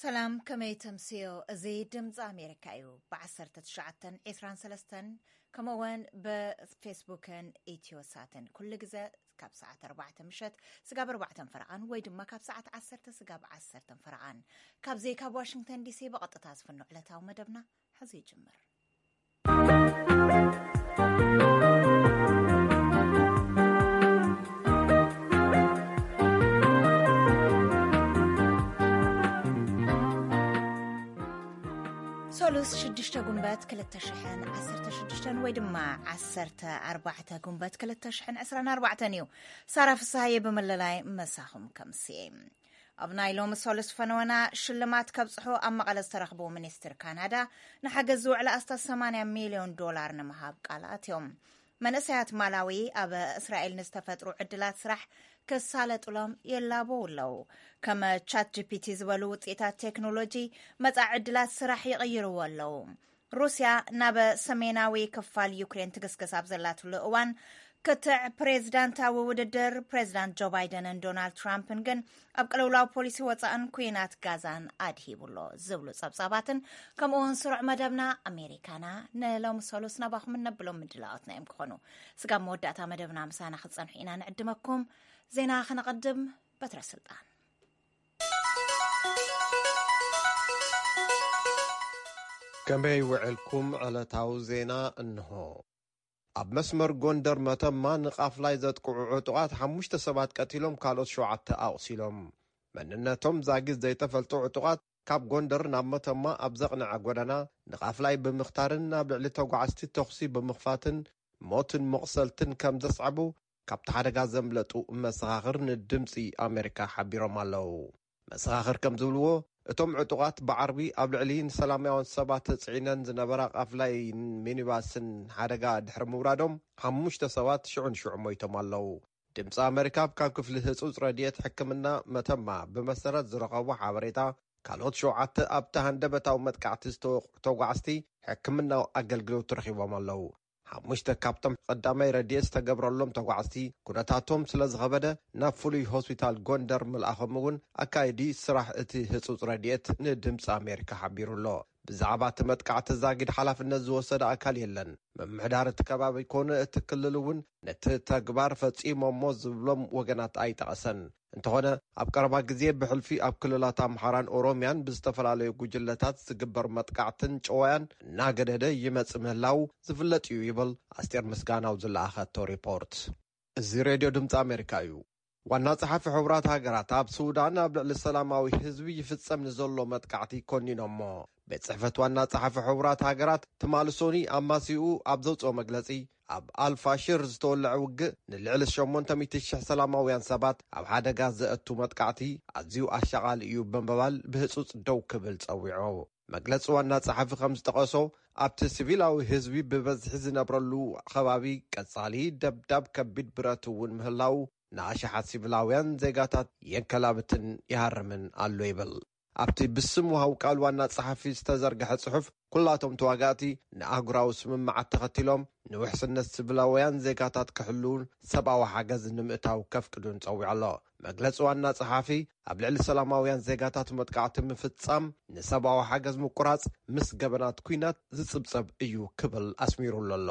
ሰላም፣ ከመይ ተምስዮ? እዚ ድምፂ ኣሜሪካ እዩ። ብ1923 ከምኡውን ብፌስቡክን ኢትዮሳትን ኩሉ ግዜ ካብ ሰዓት ኣርባዕተ ምሸት ስጋብ ኣርባዕተን ፈረቓን ወይ ድማ ካብ ሰዓት ዓሰርተ ስጋብ ዓሰርተን ፈረቓን ካብዚ ካብ ዋሽንግተን ዲሲ ብቐጥታ ዝፍኖ ዕለታዊ መደብና ሕዚ ይጅምር። ሶሉስ ሽዱሽተ ጉንበት ክልተ ሽሕን ዓሰርተ ሽዱሽተን ወይ ድማ ዓሰርተ ኣርባዕተ ጉንበት ክልተ ሽሕን ዕስራን ኣርባዕተን እዩ። ሳራ ፍስሃየ ብምልላይ መሳኹም ከምስየ። ኣብ ናይ ሎሚ ሶሉስ ፈነወና ሽልማት ከብጽሑ ኣብ መቐለ ዝተረኽቡ ሚኒስትር ካናዳ ንሓገዝ ዝውዕል ኣስታት ሰማንያ ሚልዮን ዶላር ንምሃብ ቃል ኣትዮም። መንእሰያት ማላዊ ኣብ እስራኤል ንዝተፈጥሩ ዕድላት ስራሕ ክሳለጡሎም የላበው ኣለዉ። ከም ቻት ጂ ፒ ቲ ዝበሉ ውፅኢታት ቴክኖሎጂ መጻኢ ዕድላት ስራሕ ይቕይርዎ ኣለዉ። ሩስያ ናብ ሰሜናዊ ክፋል ዩክሬን ትግስግስ ኣብ ዘላትሉ እዋን ክትዕ ፕሬዝዳንታዊ ውድድር ፕሬዝዳንት ጆ ባይደንን ዶናልድ ትራምፕን ግን ኣብ ቅልውላው ፖሊሲ ወፃእን ኩናት ጋዛን ኣድሂቡ ኣሎ ዝብሉ ጸብጻባትን ከምኡ እውን ስሩዕ መደብና ኣሜሪካና ንሎሚ ሶሉስ ናባኹም እነብሎም ምድላዋትና እዮም ክኾኑ። ስጋብ መወዳእታ መደብና ምሳና ክትጸንሑ ኢና ንዕድመኩም። ዜና ከነቐድም። በትረ ስልጣን። ከመይ ውዕልኩም? ዕለታዊ ዜና እንሆ። ኣብ መስመር ጎንደር መተማ ንቃፍላይ ዘጥቅዑ ዕጡቓት ሓሙሽተ ሰባት ቀቲሎም ካልኦት ሸውዓተ ኣቑሲሎም። መንነቶም ዛጊት ዘይተፈልጡ ዕጡቓት ካብ ጎንደር ናብ መተማ ኣብ ዘቕንዐ ጎደና ንቃፍላይ ብምኽታርን ናብ ልዕሊ ተጓዓዝቲ ተኹሲ ብምኽፋትን ሞትን መቑሰልትን ከም ዘስዓቡ ካብቲ ሓደጋ ዘምለጡ መሰኻኽር ንድምፂ ኣሜሪካ ሓቢሮም ኣለዉ። መሰኻኽር ከም ዝብልዎ እቶም ዕጡቓት ብዓርቢ ኣብ ልዕሊ ንሰላማውያን ሰባት ተፅዒነን ዝነበራ ቃፍላይን ሚኒባስን ሓደጋ ድሕሪ ምውራዶም ሓሙሽተ ሰባት ሽዑ ንሽዑ ሞይቶም ኣለዉ። ድምፂ ኣሜሪካ ካብ ክፍሊ ህፁፅ ረድኤት ሕክምና መተማ ብመሰረት ዝረኸቦ ሓበሬታ ካልኦት ሸውዓተ ኣብቲ ሃንደበታዊ መጥቃዕቲ ዝተወቕዑ ተጓዓዝቲ ሕክምናዊ ኣገልግሎት ረኺቦም ኣለዉ። ሓሙሽተ ካብቶም ቀዳማይ ረድኤት ዝተገብረሎም ተጓዓዝቲ ኩነታቶም ስለ ዝኸበደ ናብ ፍሉይ ሆስፒታል ጎንደር ምልኣኾም እውን ኣካይዲ ስራሕ እቲ ህፁፅ ረድኤት ንድምፂ ኣሜሪካ ሓቢሩ ኣሎ። ብዛዕባ እቲ መጥቃዕቲ ዛጊድ ሓላፍነት ዝወሰደ ኣካል የለን። ምምሕዳር እቲ ከባቢ ኮነ እቲ ክልል እውን ነቲ ተግባር ፈፂሞሞ ዝብሎም ወገናት ኣይጠቐሰን። እንተኾነ ኣብ ቀረባ ግዜ ብሕልፊ ኣብ ክልላት ኣምሓራን ኦሮምያን ብዝተፈላለዩ ጉጅለታት ዝግበር መጥቃዕትን ጨወያን እናገደደ ይመጽእ ምህላው ዝፍለጥ እዩ ይብል ኣስቴር ምስጋናው ዝለኣኸቶ ሪፖርት። እዚ ሬድዮ ድምፂ ኣሜሪካ እዩ። ዋና ጸሓፊ ሕቡራት ሃገራት ኣብ ሱዳን ኣብ ልዕሊ ሰላማዊ ህዝቢ ይፍጸም ንዘሎ መጥቃዕቲ ኮኒኖሞ። ቤት ጽሕፈት ዋና ጸሓፊ ሕቡራት ሃገራት ትማሊ ሶኒ ኣማሲኡ ኣብ ዘውጽኦ መግለጺ ኣብ ኣልፋሽር ዝተወለዐ ውግእ ንልዕሊ ሸሞንተ ሚእቲ ሽሕ ሰላማውያን ሰባት ኣብ ሓደጋ ዘእቱ መጥቃዕቲ ኣዝዩ ኣሻቓሊ እዩ ብምባል ብህጹጽ ደው ክብል ጸዊዑ። መግለጺ ዋና ጸሓፊ ከም ዝጠቐሶ ኣብቲ ሲቪላዊ ህዝቢ ብበዝሒ ዝነብረሉ ከባቢ ቀጻሊ ደብዳብ ከቢድ ብረት እውን ምህላው ንኣሽሓት ሲቪላውያን ዜጋታት የንከላብትን ይሃርምን ኣሎ ይብል። ኣብቲ ብስም ውሃው ቃል ዋና ጸሓፊ ዝተዘርግሐ ጽሑፍ ኩላቶም ተዋጋእቲ ንኣህጉራዊ ስምምዓት ተኸቲሎም ንውሕስነት ስቪላውያን ዜጋታት ክሕልውን ሰብኣዊ ሓገዝ ንምእታው ከፍቅዱን ጸዊዑ ኣሎ። መግለጺ ዋና ጸሓፊ ኣብ ልዕሊ ሰላማውያን ዜጋታት መጥቃዕቲ ምፍጻም ንሰብኣዊ ሓገዝ ምቁራጽ ምስ ገበናት ኲናት ዝጽብጸብ እዩ ክብል ኣስሚሩሉ ኣሎ።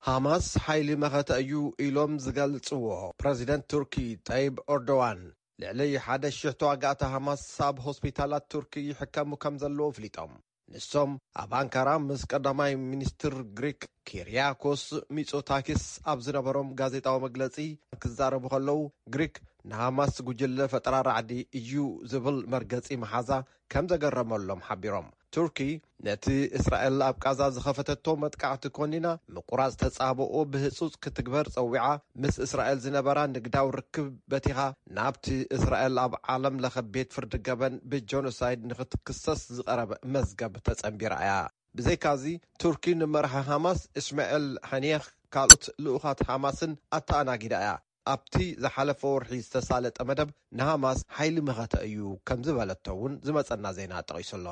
ሃማስ ሓይሊ መኸተ እዩ ኢሎም ዝገልጽዎ ፕረዚደንት ቱርኪ ጠይብ ኦርዶዋን ልዕሊ ሓደ ሽሕ ተዋጋእቲ ሃማስ ኣብ ሆስፒታላት ቱርኪ ይሕከሙ ከም ዘለዉ ኣፍሊጦም። ንሶም ኣብ ኣንካራ ምስ ቀዳማይ ሚኒስትር ግሪክ ኪርያኮስ ሚጾታኪስ ኣብ ዝነበሮም ጋዜጣዊ መግለጺ ክዛረቡ ከለዉ፣ ግሪክ ንሃማስ ጉጅለ ፈጠራ ራዕዲ እዩ ዝብል መርገጺ መሓዛ ከም ዘገረመሎም ሓቢሮም። ቱርኪ ነቲ እስራኤል ኣብ ቃዛ ዝኸፈተቶ መጥቃዕቲ ኮኒና፣ ምቁራጽ ተጻብኦ ብህጹጽ ክትግበር ጸዊዓ፣ ምስ እስራኤል ዝነበራ ንግዳዊ ርክብ በቲኻ፣ ናብቲ እስራኤል ኣብ ዓለም ለኸ ቤት ፍርዲ ገበን ብጆኖሳይድ ንኽትክሰስ ዝቐረበ መዝገብ ተጸንቢራ እያ። ብዘይካዚ፣ ቱርኪ ንመራሒ ሃማስ እስማኤል ሃኒየህ ካልኦት ልኡኻት ሃማስን ኣተኣናጊዳ እያ። ኣብቲ ዝሓለፈ ወርሒ ዝተሳለጠ መደብ ንሃማስ ሓይሊ መኸተ እዩ ከም ዝበለቶ እውን ዝመጸና ዜና ጠቒሱ ኣሎ።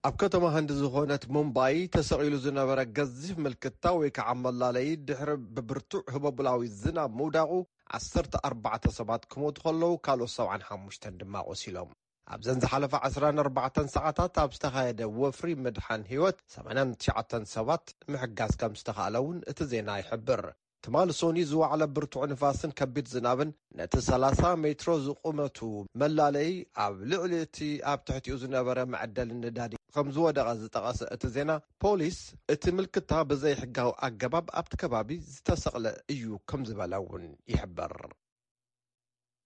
ኣብ ከተማ ህንዲ ዝኾነት ሙምባይ ተሰቒሉ ዝነበረ ገዚፍ ምልክታ ወይ ከዓ መላለዪ ድሕሪ ብብርቱዕ ህቦብላዊ ዝናብ ምውዳቑ ዓሰርተ ኣርባዕተ ሰባት ክሞቱ ከለዉ ካልኦት ሰብዓን ሓሙሽተን ድማ ቆሲሎም። ኣብዘን ዝሓለፋ ዓሰርተ ኣርባዕተ ሰዓታት ኣብ ዝተኻየደ ወፍሪ ምድሓን ህይወት ሰማንያን ትሽዓተን ሰባት ምሕጋዝ ከም ዝተኻእለ እውን እቲ ዜና ይሕብር። ትማሊ ሶኒ ዝወዓለ ብርቱዕ ንፋስን ከቢድ ዝናብን ነቲ ሰላሳ ሜትሮ ዝቑመቱ መላለይ ኣብ ልዕሊ እቲ ኣብ ትሕቲኡ ዝነበረ መዐደሊ ነዳዲ ከም ዝወደቐ ዝጠቐሰ እቲ ዜና፣ ፖሊስ እቲ ምልክታ ብዘይሕጋዊ ኣገባብ ኣብቲ ከባቢ ዝተሰቕለ እዩ ከም ዝበለ እውን ይሕበር።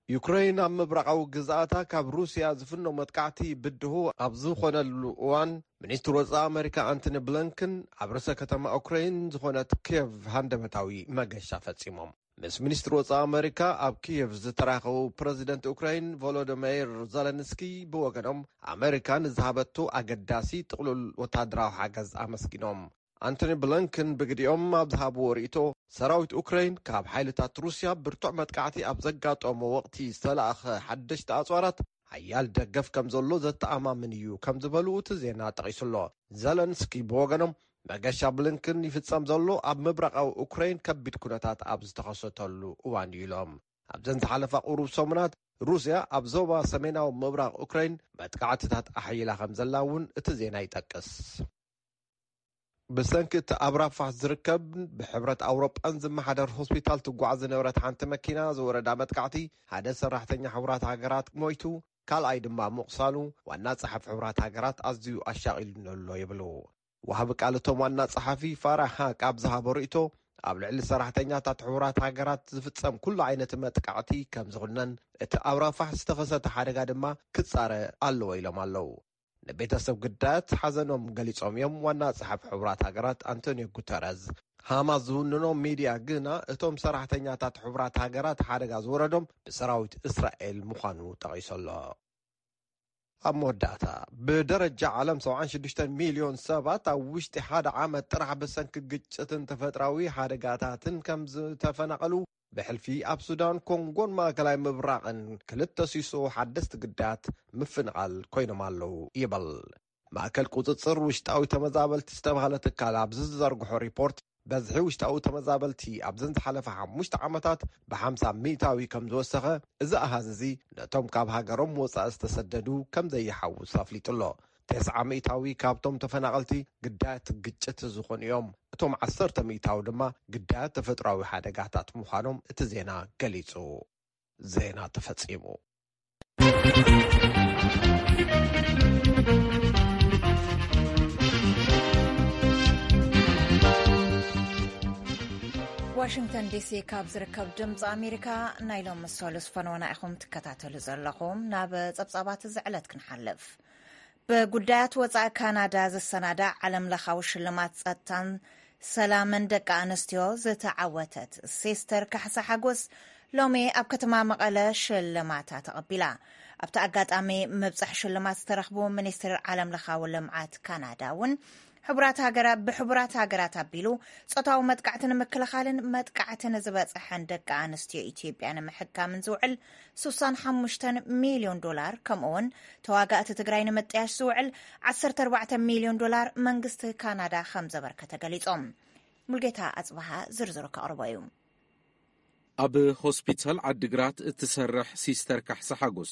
ዩክረይን ኣብ ምብራቓዊ ግዝኣታ ካብ ሩስያ ዝፍኖ መጥቃዕቲ ብድሆ ኣብ ዝኾነሉ እዋን፣ ሚኒስትር ወጻኢ ኣመሪካ ኣንቶኒ ብሊንከን ኣብ ርእሰ ከተማ ዩክረይን ዝኾነት ኪየቭ ሃንደበታዊ መገሻ ፈጺሞም። ምስ ሚኒስትር ወጻኢ ኣመሪካ ኣብ ኪየቭ ዝተራኸቡ ፕረዚደንት ዩክረይን ቮሎዲሚር ዘለንስኪ ብወገኖም፣ ኣመሪካ ንዝሃበቶ ኣገዳሲ ጥቕሉል ወታደራዊ ሓገዝ ኣመስጊኖም። ኣንቶኒ ብሊንከን ብግዲኦም ኣብ ዝሃብዎ ርእይቶ፣ ሰራዊት ኡክረይን ካብ ሓይልታት ሩስያ ብርቱዕ መጥቃዕቲ ኣብ ዘጋጠሞ ወቕቲ ዝተላእኸ ሓደሽቲ ኣጽዋራት ሓያል ደገፍ ከም ዘሎ ዘተኣማምን እዩ ከም ዝበሉ እቲ ዜና ጠቒሱሎ። ዘለንስኪ ብወገኖም፣ መገሻ ብሊንከን ይፍጸም ዘሎ ኣብ ምብራቓዊ ኡክረይን ከቢድ ኩነታት ኣብ ዝተኸሰተሉ እዋን እዩ ኢሎም። ኣብዘን ዝሓለፋ ቁሩብ ሰሙናት ሩስያ ኣብ ዞባ ሰሜናዊ ምብራቕ ኡክረይን መጥቃዕትታት ኣሕይላ ከም ዘላ እውን እቲ ዜና ይጠቅስ። ብሰንኪ እቲ ኣብ ራፋሕ ዝርከብ ብሕብረት ኣውሮጳን ዝመሓደር ሆስፒታል ትጓዓዝ ዝነበረት ሓንቲ መኪና ዝወረዳ መጥቃዕቲ፣ ሓደ ሰራሕተኛ ሕቡራት ሃገራት ሞይቱ፣ ካልኣይ ድማ ምቑሳሉ ዋና ጸሓፊ ሕቡራት ሃገራት ኣዝዩ ኣሻቒሉኒ ኣሎ ይብሉ። ወሃቢ ቃል እቶም ዋና ጸሓፊ ፋራህ ሃቅ ኣብ ዝሃቦ ርእይቶ፣ ኣብ ልዕሊ ሰራሕተኛታት ሕቡራት ሃገራት ዝፍጸም ኩሉ ዓይነት መጥቃዕቲ ከም ዝኹነን፣ እቲ ኣብ ራፋሕ ዝተኸሰተ ሓደጋ ድማ ክጻረ ኣለዎ ኢሎም ኣለዉ። ንቤተሰብ ግዳያት ሓዘኖም ገሊጾም እዮም ዋና ጸሓፊ ሕቡራት ሃገራት ኣንቶኒዮ ጉተረዝ። ሃማስ ዝውንኖ ሚድያ ግና እቶም ሰራሕተኛታት ሕቡራት ሃገራት ሓደጋ ዝወረዶም ብሰራዊት እስራኤል ምዃኑ ጠቒሱ ኣሎ። ኣብ መወዳእታ፣ ብደረጃ ዓለም ሰብዓን ሽዱሽተን ሚልዮን ሰባት ኣብ ውሽጢ ሓደ ዓመት ጥራሕ ብሰንኪ ግጭትን ተፈጥራዊ ሓደጋታትን ከም ዝተፈናቐሉ፣ ብሕልፊ ኣብ ሱዳን፣ ኮንጎን ማእከላይ ምብራቕን ክልተ ሲሶ ሓደስቲ ግዳያት ምፍንቓል ኮይኖም ኣለዉ ይበል። ማእከል ቁጽጽር ውሽጣዊ ተመዛበልቲ ዝተባህለ ትካል ኣብ ዝዘርግሖ ሪፖርት፣ በዝሒ ውሽጣዊ ተመዛበልቲ ኣብዘን ዝሓለፈ ሓሙሽተ ዓመታት ብሓምሳ ሚእታዊ ከም ዝወሰኸ፣ እዚ ኣሃዝ እዚ ነቶም ካብ ሃገሮም ወጻኢ ዝተሰደዱ ከም ዘይሓውስ ኣፍሊጡ ኣሎ። ተስዓ ሚእታዊ ካብቶም ተፈናቐልቲ ግዳያት ግጭት ዝኾኑ እዮም። እቶም ዓሰርተ ሚእታዊ ድማ ግዳያት ተፈጥሮኣዊ ሓደጋታት ምዃኖም እቲ ዜና ገሊጹ። ዜና ተፈጺሙ። ዋሽንግተን ዲሲ ካብ ዝርከብ ድምፂ ኣሜሪካ ናይ ሎሚ ሰሉስ ፈነወና ኢኹም ትከታተሉ ዘለኹም። ናብ ጸብጻባት እዚ ዕለት ክንሓልፍ። ብጉዳያት ወጻኢ ካናዳ ዝሰናዳእ ዓለም ለኻዊ ሽልማት ጸጥታን ሰላምን ደቂ ኣንስትዮ ዝተዓወተት ሲስተር ካሕሳ ሓጎስ ሎሚ ኣብ ከተማ መቐለ ሽልማታ ተቐቢላ። ኣብቲ ኣጋጣሚ ምብጻሕ ሽልማት ዝተረኽቡ ሚኒስትር ዓለም ለኻዊ ልምዓት ካናዳ እውን ሕቡራት ሃገራት፣ ብሕቡራት ሃገራት ኣቢሉ ጾታዊ መጥቃዕቲ ንምክልኻልን መጥቃዕቲ ንዝበጽሐን ደቂ ኣንስትዮ ኢትዮጵያ ንምሕካምን ዝውዕል ስሳን ሓሙሽተን ሚልዮን ዶላር፣ ከምኡ እውን ተዋጋእቲ ትግራይ ንምጥያሽ ዝውዕል ዓሰርተ ኣርባዕተ ሚልዮን ዶላር መንግስቲ ካናዳ ከም ዘበርከተ ገሊጾም። ሙልጌታ ኣጽብሃ ዝርዝሩ ከቕርቦ እዩ። ኣብ ሆስፒታል ዓዲግራት እትሰርሕ ሲስተር ካሕሳ ሓጎስ፣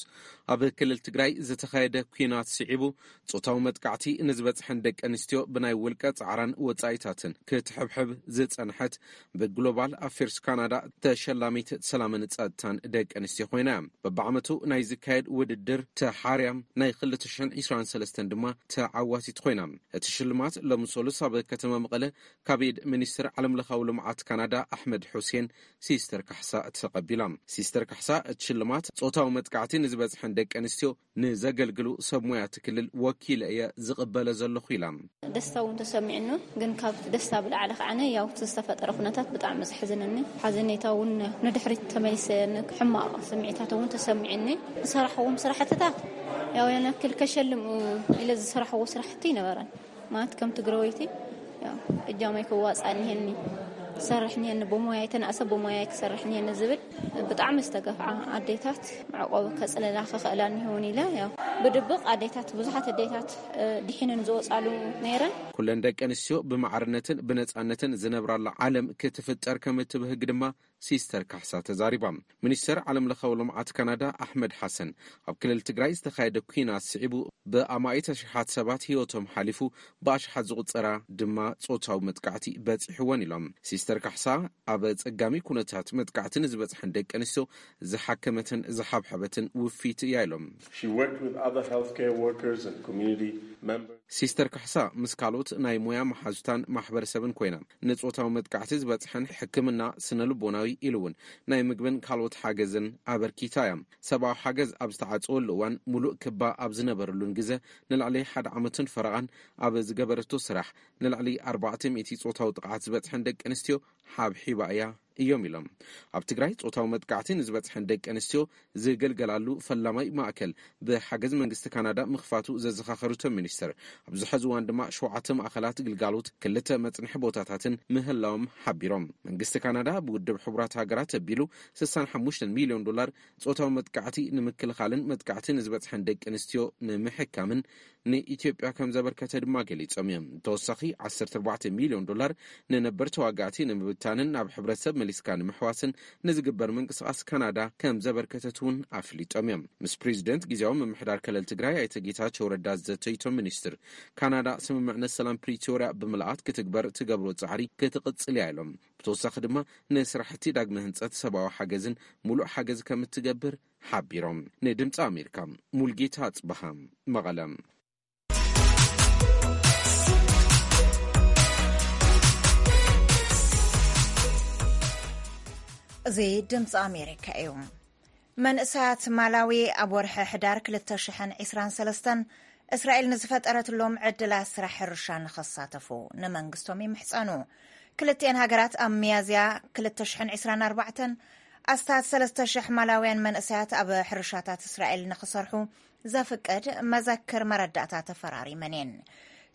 ኣብ ክልል ትግራይ ዝተኻየደ ኲናት ስዒቡ ጾታዊ መጥቃዕቲ ንዝበጽሐን ደቂ ኣንስትዮ ብናይ ውልቀ ጻዕራን ወጻኢታትን ክትሕብሕብ ዝጸንሐት፣ ብግሎባል ኣፌርስ ካናዳ ተሸላሚት ሰላምን ጸጥታን ደቂ ኣንስትዮ ኮይና። በብዓመቱ ናይ ዝካየድ ውድድር ተሓርያም ናይ ክልተ ሽሕን ዕስራን ሰለስተን ድማ ተዓዋቲት ኮይና። እቲ ሽልማት ሎሚ ሰሉስ ኣብ ከተማ መቐለ ካብ ኢድ ሚኒስትር ዓለምለኻዊ ልምዓት ካናዳ ኣሕመድ ሑሴን ሲስተር ካሕሳ ተቐቢላ። ሲስተር ካሕሳ እቲ ሽልማት ጾታዊ መጥቃዕቲ ንዝበጽሐን ደቂ ኣንስትዮ ንዘገልግሉ ሰብ ሞያ እቲ ክልል ወኪለ እየ ዝቕበለ ዘለኹ ኢላ። ደስታ እውን ተሰሚዕኒ፣ ግን ካብቲ ደስታ ብላዕሊ ከዓነ ያው እቲ ዝተፈጠረ ኩነታት ብጣዕሚ ዘሕዝነኒ። ሓዘኔታ እውን ንድሕሪት ተመሊሰ፣ ሕማቕ ስምዒታት እውን ተሰሚዕኒ። ዝሰራሕዎም ስራሕትታት ያው ያን ያክል ከሸልም ኢለ ዝሰራሕዎ ስራሕቲ ይነበረን። ማለት ከም ትግራወይቲ ያው እጃመይ ክዋፃእ እኒሀኒ፣ ክሰርሕ እኒሀኒ፣ ብሞያይ ተናእሰ ብሞያይ ክሰርሕ እኒሀኒ ዝብል ብጣዕሚ ዝተገፍዓ ኣዴታት መዕቆቢ ከፅለላ ክኽእላ እኒሀውን ኢለ ያው ብድብቕ ኣዴታት፣ ብዙሓት ኣዴታት፣ እ፣ ድሒነን ዝወፃሉ ነይረን። ኩለን ደቂ ኣንስትዮ ብማዕርነትን ብነፃነትን ዝነብራላ ዓለም ክትፍጠር ከም እትብህግ ድማ ሲስተር ካሕሳ ተዛሪባ። ሚኒስተር ዓለም ለኻዊ ልምዓት ካናዳ ኣሕመድ ሓሰን፣ ኣብ ክልል ትግራይ ዝተኻየደ ኲናት ስዒቡ ብኣማኢት ኣሽሓት ሰባት ህይወቶም ሓሊፉ፣ ብኣሽሓት ዝቑጸራ ድማ ጾታዊ መጥቃዕቲ በጺሕወን ኢሎም። ሲስተር ካሕሳ፣ ኣብ ጸጋሚ ኩነታት መጥቃዕቲ ንዝበጽሐን ደቂ ኣንስትዮ ዝሓከመትን ዝሓብሐበትን ውፊት እያ ኢሎም። She worked with other healthcare workers and community members. ሲስተር ካሕሳ ምስ ካልኦት ናይ ሞያ መሓዙታን ማሕበረሰብን ኮይና፣ ንጾታዊ መጥቃዕቲ ዝበጽሐን ሕክምና ስነ ልቦናዊ ኢሉ እውን ናይ ምግብን ካልኦት ሓገዝን ኣበርኪታ እያ። ሰብኣዊ ሓገዝ ኣብ ዝተዓጸወሉ እዋን፣ ሙሉእ ክባ ኣብ ዝነበረሉን ግዘ፣ ንልዕሊ ሓደ ዓመትን ፈረቓን ኣብ ዝገበረቶ ስራሕ፣ ንልዕሊ ኣርባዕተ ሚእቲ ጾታዊ ጥቕዓት ዝበጽሐን ደቂ ኣንስትዮ ሓብሒባ እያ እዮም ኢሎም። ኣብ ትግራይ ጾታዊ መጥቃዕቲ ንዝበጽሐን ደቂ ኣንስትዮ ዝገልገላሉ ፈላማይ ማእከል ብሓገዝ መንግስቲ ካናዳ ምኽፋቱ ዘዘኻኸሩቶም ሚኒስትር፣ ኣብዚ ሕዚ እዋን ድማ ሸውዓተ ማእከላት ግልጋሎት፣ ክልተ መጽንሒ ቦታታትን ምህላዎም ሓቢሮም። መንግስቲ ካናዳ ብውድብ ሕቡራት ሃገራት ኣቢሉ ስሳን ሓሙሽተን ሚልዮን ዶላር ጾታዊ መጥቃዕቲ ንምክልኻልን መጥቃዕቲ ንዝበጽሐን ደቂ ኣንስትዮ ንምሕካምን ንኢትዮጵያ ከም ዘበርከተ ድማ ገሊጾም እዮም። ተወሳኺ ዓሰርተ ኣርባዕተ ሚልዮን ዶላር ንነበር ተዋጋእቲ ንምብታንን ናብ ሕብረተሰብ መሊስካ ንምሕዋስን ንዝግበር ምንቅስቓስ ካናዳ ከም ዘበርከተት እውን ኣፍሊጦም እዮም። ምስ ፕሬዚደንት ግዜያዊ ምምሕዳር ክልል ትግራይ ኣይተ ጌታቸው ረዳ ዝዘተዩ እቶም ሚኒስትር፣ ካናዳ ስምምዕነት ሰላም ፕሪቶርያ ብምልኣት ክትግበር ትገብሮ ጻዕሪ ክትቕጽል እያ ኢሎም። ብተወሳኺ ድማ ንስራሕቲ ዳግመ ህንጸት ሰብኣዊ ሓገዝን ሙሉእ ሓገዝ ከም እትገብር ሓቢሮም። ንድምፂ ኣሜሪካ ሙልጌታ ኣጽበሃ፣ መቐለ። እዚ ድምፂ ኣሜሪካ እዩ። መንእሰያት ማላዊ ኣብ ወርሒ ሕዳር ክልተ ሽሕን ዕስራን ሰለስተን እስራኤል ንዝፈጠረትሎም ዕድላት ስራሕ ሕርሻ ንኸሳተፉ ንመንግስቶም ይምሕጸኑ። ክልቲኤን ሃገራት ኣብ ሚያዝያ ክልተ ሽሕን ዕስራን ኣርባዕተን ኣስታት ሰለስተ ሽሕ ማላውያን መንእሰያት ኣብ ሕርሻታት እስራኤል ንኽሰርሑ ዘፍቅድ መዘክር መረዳእታ ተፈራሪመን እየን።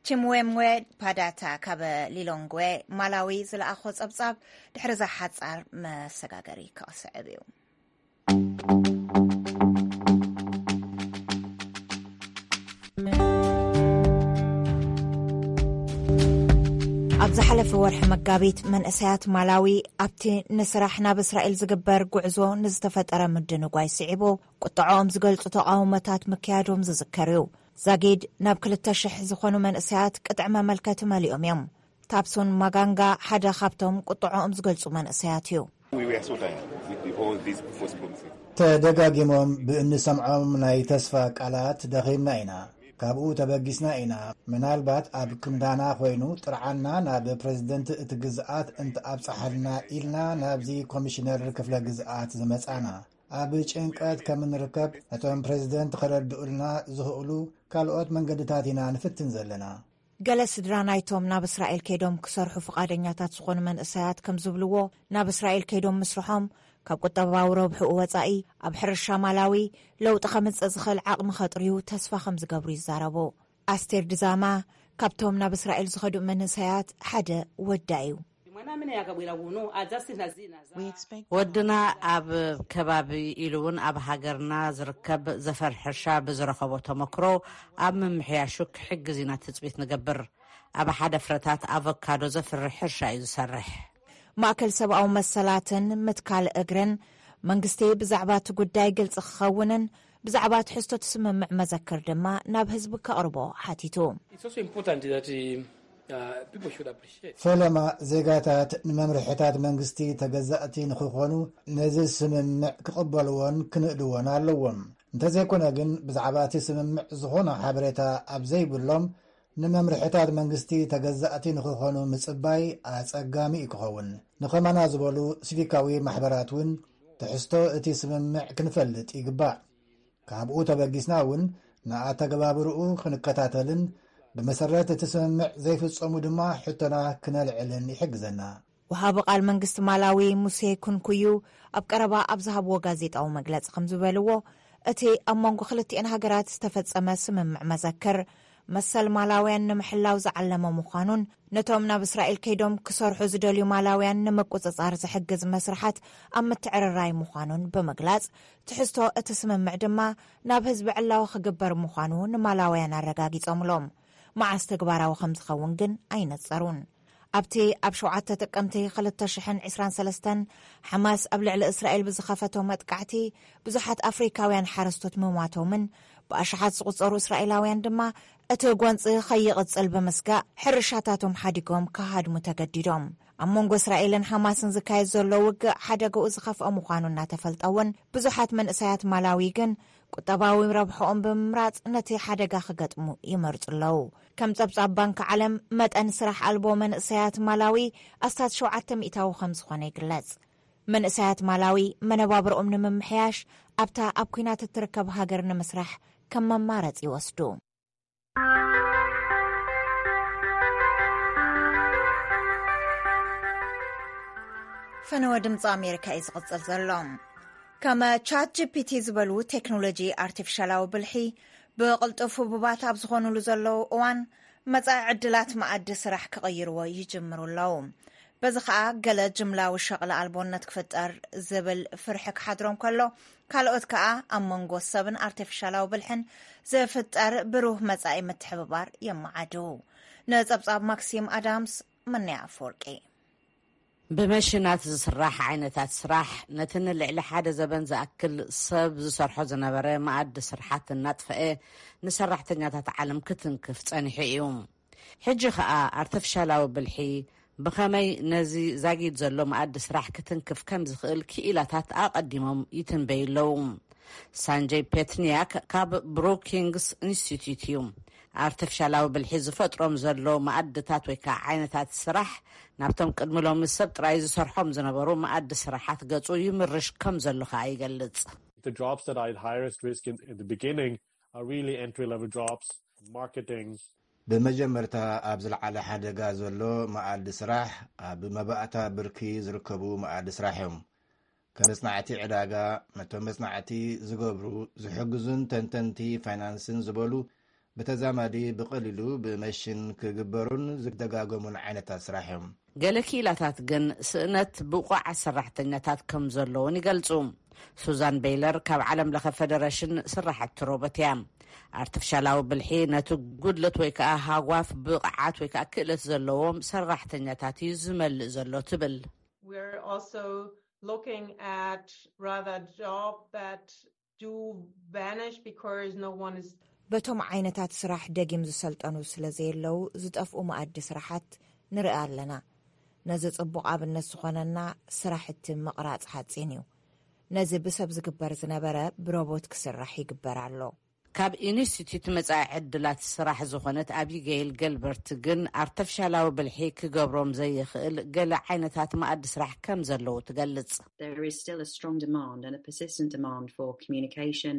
ቺምዌምዌ ፓዳታ ካብ ሊሎንግዌ ማላዊ ዝለኣኾ ጸብጻብ ድሕሪ እዛ ሓጻር መሰጋገሪ ክስዕብ እዩ። ኣብ ዝሓለፈ ወርሒ መጋቢት መንእሰያት ማላዊ ኣብቲ ንስራሕ ናብ እስራኤል ዝግበር ጉዕዞ ንዝተፈጠረ ምድንጓይ ስዒቡ ቁጥዐኦም ዝገልጹ ተቓውሞታት ምክያዶም ዝዝከር እዩ። ዛጊድ ናብ ክልተ ሽሕ ዝኾኑ መንእሰያት ቅጥዒ መመልከቲ መሊኦም እዮም። ታፕሱን ማጋንጋ ሓደ ካብቶም ቁጥዐኦም ዝገልጹ መንእሰያት እዩ። We were so tired with the, all these false promises. ተደጋጊሞም ብእንሰምዖም ናይ ተስፋ ቃላት ደኺምና ኢና። ካብኡ ተበጊስና ኢና። ምናልባት ኣብ ክንዳና ኮይኑ ጥርዓንና ናብ ፕረዚደንት እቲ ግዝኣት እንተኣብጽሓልና ኢልና ናብዚ ኮሚሽነር ክፍለ ግዝኣት ዝመጻና። ኣብ ጭንቀት ከም እንርከብ ነቶም ፕረዚደንት ከረድኡልና ዝኽእሉ ካልኦት መንገድታት ኢና ንፍትን ዘለና። ገለ ስድራ ናይቶም ናብ እስራኤል ከይዶም ክሰርሑ ፍቓደኛታት ዝኾኑ መንእሰያት ከም ዝብልዎ፣ ናብ እስራኤል ከይዶም ምስርሖም ካብ ቁጠባዊ ረብሕኡ ወጻኢ ኣብ ሕርሻ ማላዊ ለውጢ ከምጽእ ዝኽእል ዓቕሚ ከጥርዩ ተስፋ ከም ዝገብሩ ይዛረቡ። ኣስቴር ድዛማ ካብቶም ናብ እስራኤል ዝኸዱ መንእሰያት ሓደ ወዳ እዩ። Mwana amene akabwera kuno adzasintha zina za We expect ወድና ኣብ ከባቢ ኢሉ እውን ኣብ ሃገርና ዝርከብ ዘፈር ሕርሻ ብዝረኸቦ ተመክሮ ኣብ ምምሕያሹ ክሕግዝ ኢና ትጽቢት ንገብር። ኣብ ሓደ ፍረታት ኣቮካዶ ዘፍርሕ ሕርሻ እዩ ዝሰርሕ። ማእከል ሰብኣዊ መሰላትን ምትካል እግርን መንግስቲ ብዛዕባ እቲ ጉዳይ ግልጺ ክኸውንን ብዛዕባ ትሕዝቶ እቲ ስምምዕ መዘክር ድማ ናብ ህዝቢ ከቕርቦ ሓቲቱ። It's also important that uh, people should appreciate ፈለማ ዜጋታት ንመምርሕታት መንግስቲ ተገዛእቲ ንኽኾኑ ነዚ ስምምዕ ክቕበልዎን ክንእድዎን ኣለዎም። እንተዘይኮነ ግን ብዛዕባ እቲ ስምምዕ ዝኾነ ሓበሬታ ኣብ ዘይብሎም ንመምርሕታት መንግስቲ ተገዛእቲ ንኽኾኑ ምጽባይ ኣጸጋሚ እዩ ክኸውን። ንኸማና ዝበሉ ሲቪካዊ ማሕበራት እውን ትሕዝቶ እቲ ስምምዕ ክንፈልጥ ይግባእ። ካብኡ ተበጊስና እውን ንኣተገባብርኡ ክንከታተልን ብመሰረት እቲ ስምምዕ ዘይፍጸሙ ድማ ሕቶና ክነልዕልን ይሕግዘና። ወሃቢ ቃል መንግስቲ ማላዊ ሙሴ ኩንኩዩ ኣብ ቀረባ ኣብ ዝሃብዎ ጋዜጣዊ መግለጺ ከም ዝበልዎ፣ እቲ ኣብ መንጎ ክልቲኤን ሃገራት ዝተፈጸመ ስምምዕ መዘክር መሰል ማላውያን ንምሕላው ዝዓለመ ምዃኑን ነቶም ናብ እስራኤል ከይዶም ክሰርሑ ዝደልዩ ማላውያን ንምቁጽጻር ዝሕግዝ መስርሓት ኣብ ምትዕርራይ ምዃኑን ብምግላጽ፣ ትሕዝቶ እቲ ስምምዕ ድማ ናብ ህዝቢ ዕላዊ ክግበር ምዃኑ ንማላውያን ኣረጋጊጾምሎም። መዓስ ተግባራዊ ከም ዝኸውን ግን ኣይነጸሩን። ኣብቲ ኣብ ሸውዓተ ጥቅምቲ ክልተ ሽሕን ዕስራን ሰለስተን ሓማስ ኣብ ልዕሊ እስራኤል ብዝኸፈቶ መጥቃዕቲ ብዙሓት ኣፍሪካውያን ሓረስቶት ምሟቶምን ብኣሽሓት ዝቑጸሩ እስራኤላውያን ድማ እቲ ጎንፂ ከይቕጽል ብምስጋእ ሕርሻታቶም ሓዲጎም ክሃድሙ ተገዲዶም። ኣብ መንጎ እስራኤልን ሓማስን ዝካየድ ዘሎ ውግእ ሓደግኡ ዝኸፍአ ምዃኑ እናተፈልጠ እውን ብዙሓት መንእሰያት ማላዊ ግን ቁጠባዊ ረብሕኦም ብምምራጽ ነቲ ሓደጋ ክገጥሙ ይመርጹ ኣለዉ። ከም ጸብጻብ ባንክ ዓለም መጠን ስራሕ ኣልቦ መንእሰያት ማላዊ ኣስታት ሸውዓተ ሚእታዊ ከም ዝኾነ ይግለጽ። መንእሰያት ማላዊ መነባብርኦም ንምምሕያሽ ኣብታ ኣብ ኲናት እትርከብ ሃገር ንምስራሕ ከም መማረጺ ይወስዱ። ፈነወ ድምፂ ኣሜሪካ እዩ ዝቕጽል ዘሎ። ከም ቻት ጂ ፒ ቲ ዝበሉ ቴክኖሎጂ ኣርቲፊሻላዊ ብልሒ ብቕልጡፍ ህቡባት ኣብ ዝኾኑሉ ዘለዉ እዋን መጻኢ ዕድላት መኣዲ ስራሕ ክቕይርዎ ይጅምሩ ኣለዉ። በዚ ኸኣ ገለ ጅምላዊ ሸቕሊ ኣልቦነት ክፍጠር ዝብል ፍርሒ ክሓድሮም ከሎ፣ ካልኦት ከኣ ኣብ መንጎ ሰብን ኣርቲፊሻላዊ ብልሕን ዝፍጠር ብሩህ መጻኢ ምትሕብባር የመዓድው። ንጸብጻብ ማክሲም ኣዳምስ፣ መነያ ኣፈወርቂ። ብመሽናት ዝስራሕ ዓይነታት ስራሕ፣ ነቲ ንልዕሊ ሓደ ዘበን ዝኣክል ሰብ ዝሰርሖ ዝነበረ መኣዲ ስርሓት እናጥፈአ ንሰራሕተኛታት ዓለም ክትንክፍ ጸኒሑ እዩ። ሕጂ ኸኣ ኣርተፍሻላዊ ብልሒ ብኸመይ ነዚ ዛጊድ ዘሎ መኣዲ ስራሕ ክትንክፍ ከም ዝኽእል ክኢላታት ኣቐዲሞም ይትንበዩ ኣለዉ። ሳንጀይ ፔትንያክ ካብ ብሩኪንግስ ኢንስቲትዩት እዩ። ኣርተፍሻላዊ ብልሒ ዝፈጥሮም ዘሎ መኣድታት ወይ ከዓ ዓይነታት ስራሕ ናብቶም ቅድሚ ሎሚ ሰብ ጥራይ ዝሰርሖም ዝነበሩ መኣዲ ስራሓት ገጹ ይምርሽ ከም ዘሎ ከዓ ይገልጽ። The jobs that are at highest risk in, in the beginning are really entry level jobs, marketing. ብመጀመርታ ኣብ ዝለዓለ ሓደጋ ዘሎ መኣዲ ስራሕ ኣብ መባእታ ብርኪ ዝርከቡ መኣዲ ስራሕ እዮም። ከም መጽናዕቲ ዕዳጋ፣ ነቶም መጽናዕቲ ዝገብሩ ዝሕግዙን ተንተንቲ ፋይናንስን ዝበሉ ብተዛማዲ ብቐሊሉ ብመሽን ክግበሩን ዝደጋገሙን ዓይነታት ስራሕ እዮም። ገለ ክኢላታት ግን ስእነት ብቑዓት ሰራሕተኛታት ከም ዘለውን ይገልጹ። ሱዛን ቤይለር ካብ ዓለም ለኸ ፈደረሽን ስራሕቲ ሮቦት እያ። ኣርቲፊሻላዊ ብልሒ ነቲ ጉድለት ወይ ከዓ ሃጓፍ ብቕዓት ወይ ከዓ ክእለት ዘለዎም ሰራሕተኛታት እዩ ዝመልእ ዘሎ ትብል። We're also looking at rather job that do vanish because no one is በቶም ዓይነታት ስራሕ ደጊም ዝሰልጠኑ ስለ ዘየለዉ ዝጠፍኡ መኣዲ ስራሓት ንርኢ ኣለና። ነዚ ጽቡቕ ኣብነት ዝኾነና ስራሕቲ ምቕራጽ ሓጺን እዩ። ነዚ ብሰብ ዝግበር ዝነበረ ብሮቦት ክስራሕ ይግበር ኣሎ። ካብ ኢንስቲትዩት መጻኢ ዕድላት ስራሕ ዝኾነት ኣቢገይል ገልበርት ግን ኣርተፍሻላዊ ብልሒ ክገብሮም ዘይኽእል ገለ ዓይነታት መኣዲ ስራሕ ከም ዘለዉ ትገልጽ። There is still a strong demand and a persistent demand for communication.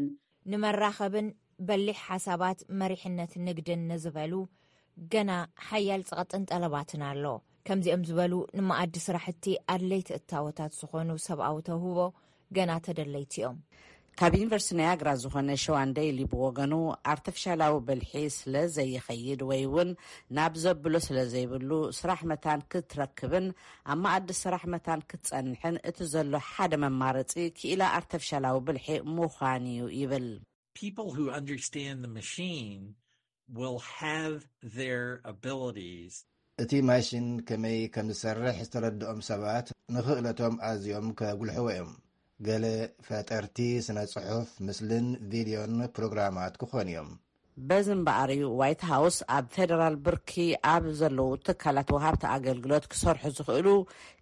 ንመራኸብን በሊሕ ሓሳባት መሪሕነት ንግድን ንዝበሉ ገና ሓያል ጸቕጥን ጠለባትን ኣሎ። ከምዚኦም ዝበሉ ንመኣዲ ስራሕቲ ኣድለይቲ እታወታት ዝኾኑ ሰብኣዊ ተውህቦ ገና ተደለይቲ እዮም። ካብ ዩኒቨርሲቲ ናያግራ ዝኾነ ሸዋን ደይሊ ብወገኑ ኣርተፍሻላዊ ብልሒ ስለ ዘይኸይድ ወይ እውን ናብ ዘብሎ ስለ ዘይብሉ ስራሕ መታን ክትረክብን ኣብ መኣዲ ስራሕ መታን ክትጸንሕን እቲ ዘሎ ሓደ መማረጺ ክኢላ ኣርተፍሻላዊ ብልሒ ምዃን እዩ ይብል። People who understand the machine will have their abilities. እቲ ማሽን ከመይ ከም ዝሰርሕ ዝተረድኦም ሰባት ንኽእለቶም ኣዝዮም ከጉልሕዎ እዮም። ገለ ፈጠርቲ ስነ ጽሑፍ፣ ምስልን ቪድዮን ፕሮግራማት ክኾኑ እዮም። በዚ እምበኣር እዩ ዋይት ሃውስ ኣብ ፌደራል ብርኪ ኣብ ዘለዉ ትካላት ወሃብቲ ኣገልግሎት ክሰርሑ ዝኽእሉ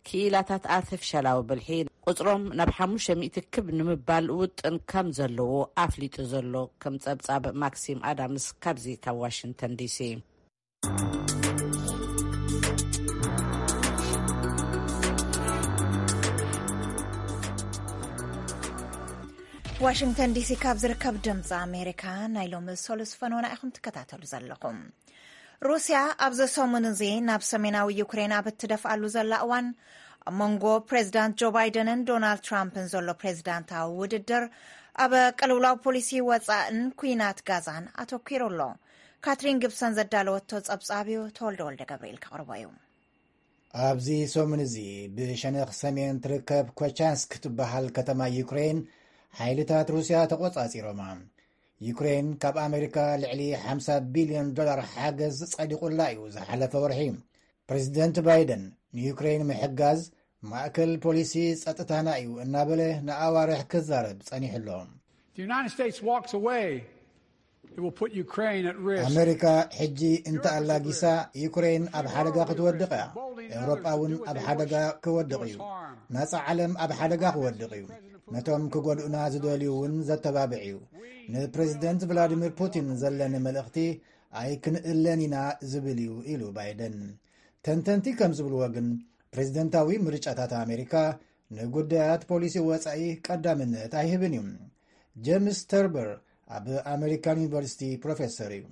ክኢላታት ኣርቲፊሻላዊ ብልሒ ቁፅሮም ናብ ሓሙሽተ ሚእቲ ክብ ንምባል ውጥን ከም ዘለዎ ኣፍሊጡ ዘሎ። ከም ፀብፃብ ማክሲም ኣዳምስ ካብዚ ካብ ዋሽንግተን ዲሲ። ዋሽንግተን ዲሲ ካብ ዝርከብ ድምፂ ኣሜሪካ ናይ ሎሚ ሰሉስ ፈነወና ኢኹም ትከታተሉ ዘለኹም። ሩስያ ኣብዚ ሰሙን እዚ ናብ ሰሜናዊ ዩክሬን ኣብ እትደፍኣሉ ዘላ እዋን ኣብ መንጎ ፕሬዚዳንት ጆ ባይደንን ዶናልድ ትራምፕን ዘሎ ፕሬዚዳንታዊ ውድድር ኣብ ቅልውላው ፖሊሲ ወፃእን ኩናት ጋዛን ኣተኪሩ ኣሎ። ካትሪን ግብሰን ዘዳለወቶ ፀብፃብ እዩ፣ ተወልደ ወልደ ገብርኤል ከቕርቦ እዩ። ኣብዚ ሰሙን እዚ ብሸነኽ ሰሜን ትርከብ ኮቻንስክ ትበሃል ከተማ ዩክሬን ሓይልታት ሩስያ ተቖጻጺሮማ። ዩክሬን ካብ ኣሜሪካ ልዕሊ ሓምሳ ቢልዮን ዶላር ሓገዝ ጸዲቑላ እዩ ዝሓለፈ ወርሒ። ፕሬዚደንት ባይደን ንዩክሬን ምሕጋዝ ማእከል ፖሊሲ ጸጥታና እዩ እናበለ ንኣዋርሕ ክዛረብ ጸኒሑ ኣሎ። If the United States walks away, it will put Ukraine at risk. ኣመሪካ ሕጂ እንተኣላጊሳ ዩክሬን ኣብ ሓደጋ ክትወድቕ እያ። ኤውሮጳ እውን ኣብ ሓደጋ ክወድቕ እዩ። ናጻ ዓለም ኣብ ሓደጋ ክወድቕ እዩ። ነቶም ክጎድኡና ዝደልዩ እውን ዘተባብዕ እዩ። ንፕሬዚደንት ቭላዲሚር ፑቲን ዘለኒ መልእኽቲ ኣይክንእለን ኢና ዝብል እዩ ኢሉ ባይደን። ተንተንቲ ከም ዝብልዎ ግን ፕሬዚደንታዊ ምርጫታት ኣሜሪካ ንጉዳያት ፖሊሲ ወጻኢ ቀዳምነት ኣይህብን እዩ። ጀምስ ተርበር ኣብ ኣሜሪካን ዩኒቨርሲቲ ፕሮፌሰር እዩ።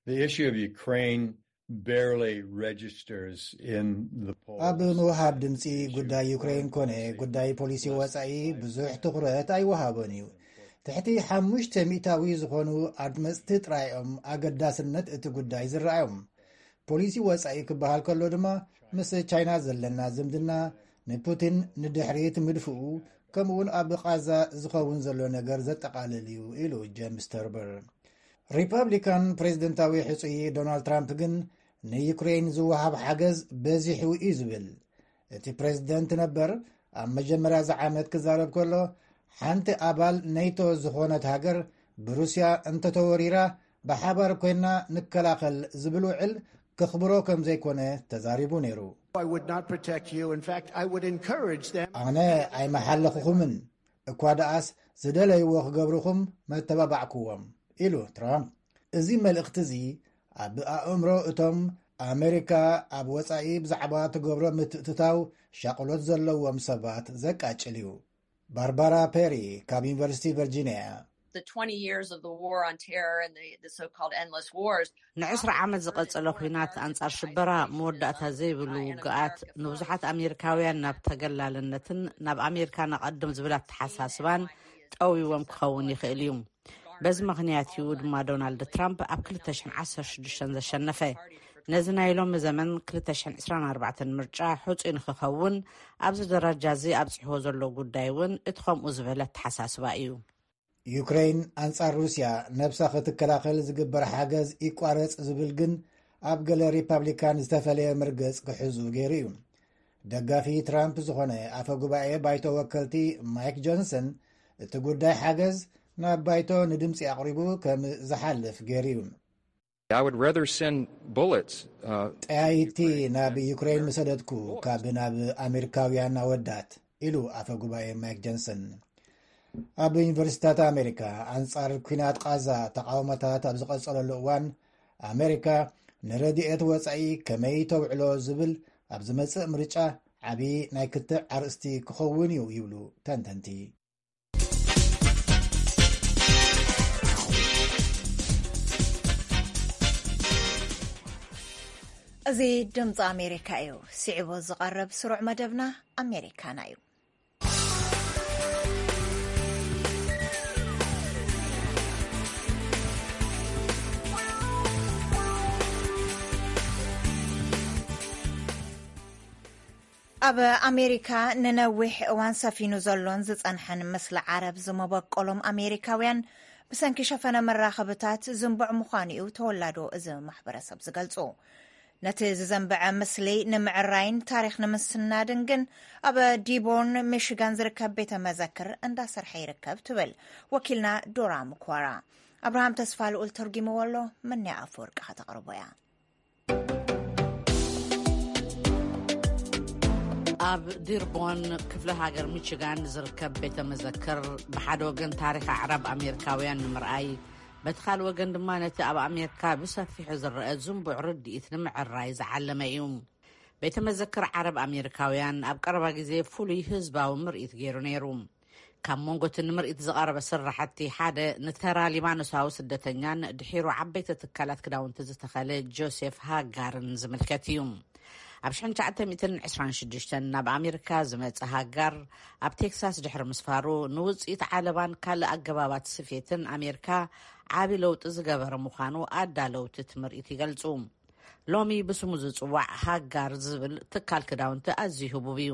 The issue of Ukraine barely registers in the polls. ኣብ ምውሃብ ድምፂ ጉዳይ ዩክሬን ኮነ ጉዳይ ፖሊሲ ወፃኢ ብዙሕ ትኹረት ኣይወሃቦን እዩ። ትሕቲ ሓሙሽተ ሚእታዊ ዝኾኑ ኣድመፅቲ ጥራይ እዮም ኣገዳስነት እቲ ጉዳይ ዝረኣዮም። ፖሊሲ ወፃኢ ክበሃል ከሎ ድማ ምስ ቻይና ዘለና ዝምድና ንፑቲን ንድሕሪት ምድፍኡ፣ ከምኡውን ኣብ ቃዛ ዝኸውን ዘሎ ነገር ዘጠቓልል እዩ ኢሉ ጀምስ ተርበር። ሪፐብሊካን ፕሬዝደንታዊ ሕጹይ ዶናልድ ትራምፕ ግን ንዩክሬን ዝወሃብ ሓገዝ በዚሑ እዩ ዝብል። እቲ ፕሬዝደንት ነበር ኣብ መጀመርያ ዝዓመት ክዛረብ ከሎ፣ ሓንቲ ኣባል ኔቶ ዝኾነት ሃገር ብሩስያ እንተተወሪራ ብሓባር ኮይና ንከላኸል ዝብል ውዕል ከኽብሮ ከም ዘይኮነ ተዛሪቡ ነይሩ። I would not protect you. In fact, I would encourage them. ኣነ ኣይመሓለኹኹምን፣ እኳ ደኣስ ዝደለይዎ ክገብርኹም መተባባዕክዎም ኢሉ ትራምፕ። እዚ መልእኽቲ እዚ ኣብ ኣእምሮ እቶም ኣሜሪካ ኣብ ወጻኢ ብዛዕባ ትገብሮ ምትእትታው ሻቕሎት ዘለዎም ሰባት ዘቃጭል እዩ። ባርባራ ፔሪ ካብ ዩኒቨርሲቲ ቨርጂኒያ እያ። The twenty years of the war on terror and the, the so-called endless wars. ንዕስራ ዓመት ዝቐጸለ ኲናት ኣንጻር ሽበራ መወዳእታ ዘይብሉ ውግኣት ንብዙሓት ኣሜሪካውያን ናብ ተገላልነትን ናብ ኣሜሪካ ንቐድም ዝብል ኣተሓሳስባን ጠዊዎም ክኸውን ይኽእል እዩ። በዚ ምኽንያት እዩ ድማ ዶናልድ ትራምፕ ኣብ ክልተ ሽሕን ዓሰርተ ሽዱሽተን ዘሸነፈ። ነዚ ናይ ሎሚ ዘመን ክልተ ሽሕን ዕስራን ኣርባዕተን ምርጫ ሕጹይ ንክኸውን ኣብዚ ደረጃ እዚ ኣብጺሕዎ ዘሎ ጉዳይ እውን እቲ ከምኡ ዝበለ ኣተሓሳስባ እዩ። ዩክሬን ኣንጻር ሩስያ ነብሳ ክትከላኸል ዝግበር ሓገዝ ይቋረጽ ዝብል ግን ኣብ ገለ ሪፓብሊካን ዝተፈለየ መርገጽ ክሕዙ ገይሩ እዩ። ደጋፊ ትራምፕ ዝኾነ ኣፈ ጉባኤ ባይቶ ወከልቲ ማይክ ጆንሰን እቲ ጉዳይ ሓገዝ ናብ ባይቶ ንድምፂ ኣቕሪቡ ከም ዝሓልፍ ገይሩ እዩ። I would rather send bullets. Uh, ጠያይቲ ናብ ዩክሬን ምሰደድኩ ካብ ናብ ኣሜሪካውያን ኣወዳት ኢሉ ኣፈ ጉባኤ ማይክ ጆንሰን። ኣብ ዩኒቨርሲታት ኣሜሪካ ኣንጻር ኲናት ቃዛ ተቃውሞታት ኣብ ዝቐጸለሉ እዋን ኣሜሪካ ንረድኤት ወጻኢ ከመይ ተውዕሎ ዝብል ኣብ ዝመጽእ ምርጫ ዓቢ ናይ ክትዕ ኣርእስቲ ክኸውን እዩ ይብሉ ተንተንቲ። እዚ ድምፂ ኣሜሪካ እዩ። ስዒቡ ዝቐርብ ስሩዕ መደብና ኣሜሪካና እዩ። ኣብ ኣሜሪካ ንነዊሕ እዋን ሰፊኑ ዘሎን ዝጸንሐን ምስሊ ዓረብ ዝመበቆሎም ኣሜሪካውያን ብሰንኪ ሸፈነ መራኸብታት ዝንቡዕ ምዃኑ እዩ ተወላዶ እዚ ማሕበረሰብ ዝገልጹ። ነቲ ዝዘንበዐ ምስሊ ንምዕራይን ታሪኽ ንምስናድን ግን ኣብ ዲቦርን ሚሽጋን ዝርከብ ቤተ መዘክር እንዳሰርሐ ይርከብ ትብል ወኪልና ዶራ ምኳራ። ኣብርሃም ተስፋ ልኡል ተርጉምዎ ኣሎ። ምንያ ኣፈወርቂ ከተቕርቦ እያ። ኣብ ዲርቦን ክፍለ ሃገር ሚችጋን ዝርከብ ቤተ መዘክር ብሓደ ወገን ታሪኽ ኣዕራብ ኣሜሪካውያን ንምርኣይ፣ በቲ ካልእ ወገን ድማ ነቲ ኣብ ኣሜሪካ ብሰፊሑ ዝረአ ዝንቡዕ ርድኢት ንምዕራይ ዝዓለመ እዩ። ቤተ መዘክር ዓረብ ኣሜሪካውያን ኣብ ቀረባ ግዜ ፍሉይ ህዝባዊ ምርኢት ገይሩ ነይሩ። ካብ መንጎ እቲ ንምርኢት ዝቐረበ ስራሕቲ ሓደ ንተራ ሊባኖሳዊ ስደተኛን ድሒሩ ዓበይቲ ትካላት ክዳውንቲ ዝተኸለ ጆሴፍ ሃጋርን ዝምልከት እዩ። ኣብ ሽሕን ትሽዓተ ሚእትን ዕስራን ሽዱሽተን ናብ ኣሜሪካ ዝመጸ ሃጋር ኣብ ቴክሳስ ድሕሪ ምስፋሩ ንውጽኢት ዓለባን ካልእ ኣገባባት ስፌትን ኣሜሪካ ዓቢ ለውጢ ዝገበረ ምዃኑ ኣዳለውቲ እቲ ምርኢት ይገልጹ። ሎሚ ብስሙ ዝጽዋዕ ሃጋር ዝብል ትካል ክዳውንቲ ኣዝዩ ህቡብ እዩ።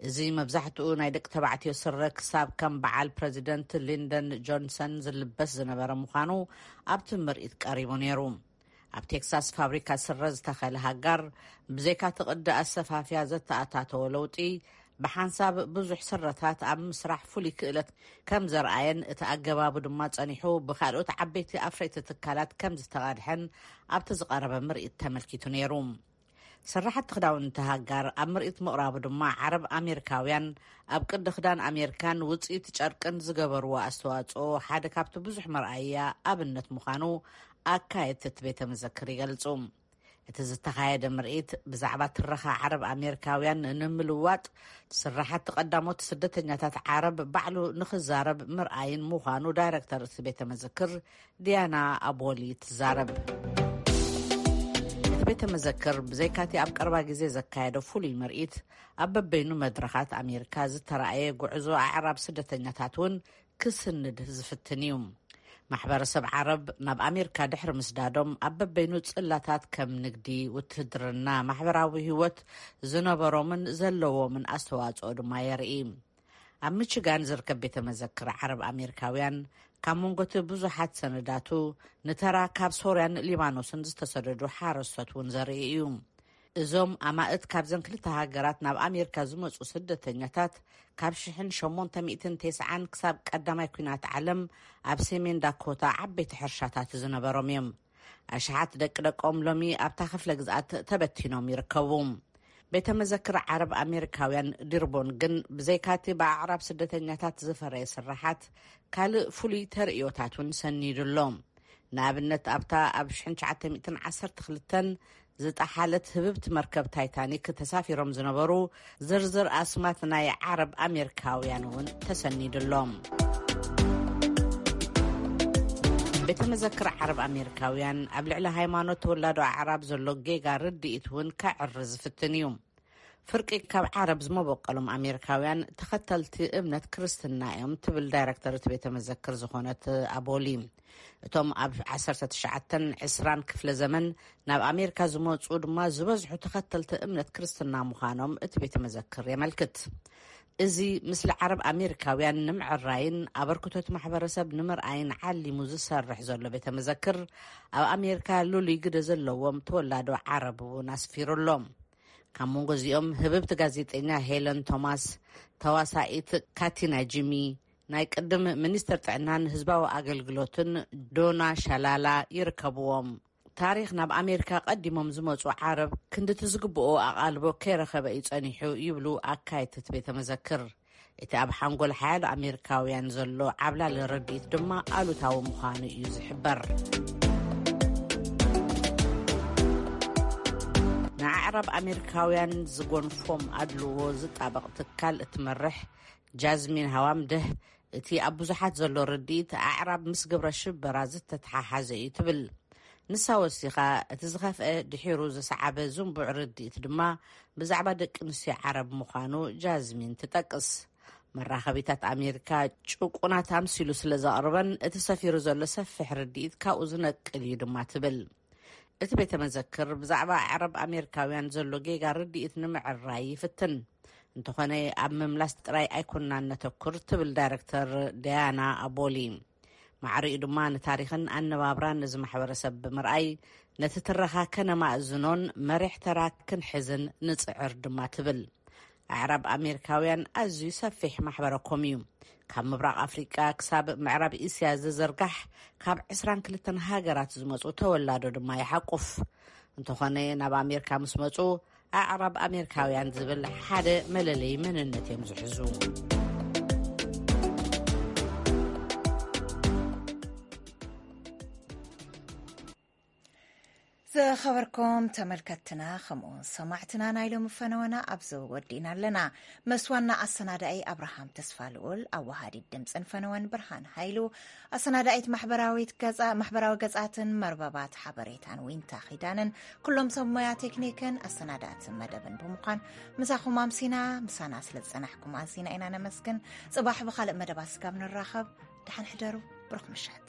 እዚ መብዛሕትኡ ናይ ደቂ ተባዕትዮ ስረ ክሳብ ከም በዓል ፕረዚደንት ሊንደን ጆንሰን ዝልበስ ዝነበረ ምዃኑ ኣብቲ ምርኢት ቀሪቡ ነይሩ። ኣብ ቴክሳስ ፋብሪካ ስረ ዝተኸለ ሃጋር፣ ብዘይካ እቲ ቅዲ ኣሰፋፍያ ዘተኣታተወ ለውጢ፣ ብሓንሳብ ብዙሕ ስረታት ኣብ ምስራሕ ፍሉይ ክእለት ከም ዘርኣየን፣ እቲ ኣገባቡ ድማ ጸኒሑ ብካልኦት ዓበይቲ ኣፍረይቲ ትካላት ከም ዝተቐድሐን ኣብቲ ዝቐረበ ምርኢት ተመልኪቱ ነይሩ። ስራሕቲ ክዳውንቲ ሃጋር ኣብ ምርኢት ምቕራቡ ድማ፣ ዓረብ ኣሜሪካውያን ኣብ ቅዲ ክዳን ኣሜሪካን ውፅኢት ጨርቅን ዝገበርዎ ኣስተዋፅኦ ሓደ ካብቲ ብዙሕ መርኣያ ኣብነት ምዃኑ ኣካየድቲ እቲ ቤተ መዘክር ይገልፁ። እቲ ዝተኻየደ ምርኢት ብዛዕባ ትረኻ ዓረብ ኣሜሪካውያን ንምልዋጥ፣ ስራሕቲ ቀዳሞት ስደተኛታት ዓረብ ባዕሉ ንኽዛረብ ምርኣይን ምዃኑ ዳይረክተር እቲ ቤተ መዘክር ዲያና ኣቦሊ ትዛረብ። እቲ ቤተ መዘክር ብዘይካቲ ኣብ ቀረባ ግዜ ዘካየደ ፍሉይ ምርኢት፣ ኣብ በበይኑ መድረኻት ኣሜሪካ ዝተራእየ ጉዕዞ ኣዕራብ ስደተኛታት እውን ክስንድ ዝፍትን እዩ። ማሕበረሰብ ዓረብ ናብ ኣሜሪካ ድሕሪ ምስዳዶም፣ ኣብ በበይኑ ጽላታት ከም ንግዲ፣ ውትህድርና፣ ማሕበራዊ ህይወት ዝነበሮምን ዘለዎምን ኣስተዋጽኦ ድማ የርኢ። ኣብ ሚችጋን ዝርከብ ቤተ መዘክር ዓረብ ኣሜሪካውያን፣ ካብ መንጎቲ ብዙሓት ሰነዳቱ፣ ንተራ ካብ ሶርያን ሊባኖስን ዝተሰደዱ ሓረስቶት እውን ዘርኢ እዩ። እዞም ኣማእት ካብዘን ክልተ ሃገራት ናብ ኣሜሪካ ዝመጹ ስደተኛታት፣ ካብ ሽሕን ሸሞንተ ሚእትን ተስዓን ክሳብ ቀዳማይ ኲናት ዓለም ኣብ ሰሜን ዳኮታ ዓበይቲ ሕርሻታት ዝነበሮም እዮም። ኣሽሓት ደቂ ደቆም ሎሚ ኣብታ ክፍለ ግዝኣት ተበቲኖም ይርከቡ። ቤተ መዘክር ዓረብ ኣሜሪካውያን ዲርቦን ግን፣ ብዘይካቲ ብኣዕራብ ስደተኛታት ዝፈረየ ስራሓት፣ ካልእ ፍሉይ ተርእዮታት እውን ሰኒዱ ኣሎ። ንኣብነት፣ ኣብታ ኣብ ሽሕን ትሽዓተ ሚእትን ዓሰርተ ክልተን ዝጠሓለት ህብብቲ መርከብ ታይታኒክ ተሳፊሮም ዝነበሩ ዝርዝር ኣስማት ናይ ዓረብ ኣሜሪካውያን እውን ተሰኒዱ ኣሎ። ቤተ መዘክር ዓረብ ኣሜሪካውያን ኣብ ልዕሊ ሃይማኖት ተወላዶ ኣዕራብ ዘሎ ጌጋ ርድኢት እውን ከዕሪ ዝፍትን እዩ። ፍርቂ ካብ ዓረብ ዝመበቀሎም ኣሜሪካውያን ተኸተልቲ እምነት ክርስትና እዮም፣ ትብል ዳይረክተር እቲ ቤተ መዘክር ዝኾነት ኣቦሊ። እቶም ኣብ ዓሰርተ ትሽዓተን ዕስራን ክፍለ ዘመን ናብ ኣሜሪካ ዝመጹ ድማ ዝበዝሑ ተኸተልቲ እምነት ክርስትና ምዃኖም እቲ ቤተ መዘክር የመልክት። እዚ ምስሊ ዓረብ ኣሜሪካውያን ንምዕራይን ኣበርክቶት ማሕበረሰብ ንምርኣይን ዓሊሙ ዝሰርሕ ዘሎ ቤተ መዘክር፣ ኣብ ኣሜሪካ ልሉይ ግደ ዘለዎም ተወላዶ ዓረብ እውን ኣስፊሩ ኣሎ። ካብ መንጎ እዚኦም፣ ህብብቲ ጋዜጠኛ ሄለን ቶማስ፣ ተዋሳኢት ካቲና ጂሚ፣ ናይ ቅድም ሚኒስትር ጥዕናን ህዝባዊ ኣገልግሎትን ዶና ሻላላ ይርከብዎም። ታሪኽ ናብ ኣሜሪካ ቀዲሞም ዝመጹ ዓረብ ክንድቲ ዝግብኦ ኣቓልቦ ከይረኸበ እዩ ጸኒሑ፣ ይብሉ ኣካየድቲ እቲ ቤተ መዘክር። እቲ ኣብ ሓንጎል ሓያሎ ኣሜሪካውያን ዘሎ ዓብላሊ ርድኢት ድማ ኣሉታዊ ምዃኑ እዩ ዝሕበር። ንኣዕራብ ኣሜሪካውያን ዝጎንፎም ኣድልዎ ዝጣበቕ ትካል እትመርሕ ጃዝሚን ሃዋምድህ፣ እቲ ኣብ ብዙሓት ዘሎ ርድኢት ኣዕራብ ምስ ግብረ ሽበራ ዝተተሓሓዘ እዩ ትብል። ንሳ ወሲኻ፣ እቲ ዝኸፍአ ድሒሩ ዝሰዓበ ዝንቡዕ ርድኢት ድማ ብዛዕባ ደቂ ኣንስትዮ ዓረብ ምዃኑ ጃዝሚን ትጠቅስ። መራኸቢታት ኣሜሪካ ጭቁናት ኣምሲሉ ስለ ዘቕርበን፣ እቲ ሰፊሩ ዘሎ ሰፊሕ ርድኢት ካብኡ ዝነቅል እዩ ድማ ትብል። እቲ ቤተ መዘክር ብዛዕባ ዓረብ ኣሜሪካውያን ዘሎ ጌጋ ርድኢት ንምዕራይ ይፍትን። እንተኾነ፣ ኣብ ምምላስ ጥራይ ኣይኮናን ነተኩር፣ ትብል ዳይረክተር ዳያና ኣቦሊ። ማዕሪኡ ድማ ንታሪኽን ኣነባብራን እዚ ማሕበረሰብ ብምርኣይ፣ ነቲ ትረኻ ከነማእዝኖን መሪሕ ተራ ክንሕዝን ንጽዕር ድማ ትብል። ኣዕራብ ኣሜሪካውያን ኣዝዩ ሰፊሕ ማሕበረኮም እዩ። ካብ ምብራቕ ኣፍሪቃ ክሳብ ምዕራብ እስያ ዝዝርጋሕ፣ ካብ ዕስራን ክልተን ሃገራት ዝመጹ ተወላዶ ድማ ይሓቁፍ። እንተኾነ፣ ናብ ኣሜሪካ ምስ መጹ፣ ኣዕራብ ኣሜሪካውያን ዝብል ሓደ መለለዪ መንነት እዮም ዝሕዙ። ዝኸበርኩም ተመልከትትና፣ ከምኡ እውን ሰማዕትና፣ ናይ ሎሚ ፈነወና ኣብዚ ወዲእና ኣለና። ምስ ዋና ኣሰናዳኢ ኣብርሃም ተስፋ ልኡል፣ ኣወሃዲት ድምፅን ፈነወን ብርሃን ሃይሉ፣ ኣሰናዳኢት ማሕበራዊት ገፃ-፣ ማሕበራዊ ገፃትን መርበባት ሓበሬታን ዊንታ ኪዳንን፣ ኩሎም ሰብ ሞያ ቴክኒክን ኣሰናዳእቲ መደብን ብምዃን ምሳኹም ኣምሲና። ምሳና ስለ ዝፀናሕኩም ኣዚና ኢና ነመስግን። ፅባሕ ብኻልእ መደባት ስጋብ ንራኸብ፣ ደሓን ሕደሩ። ብሩኽ ምሸት።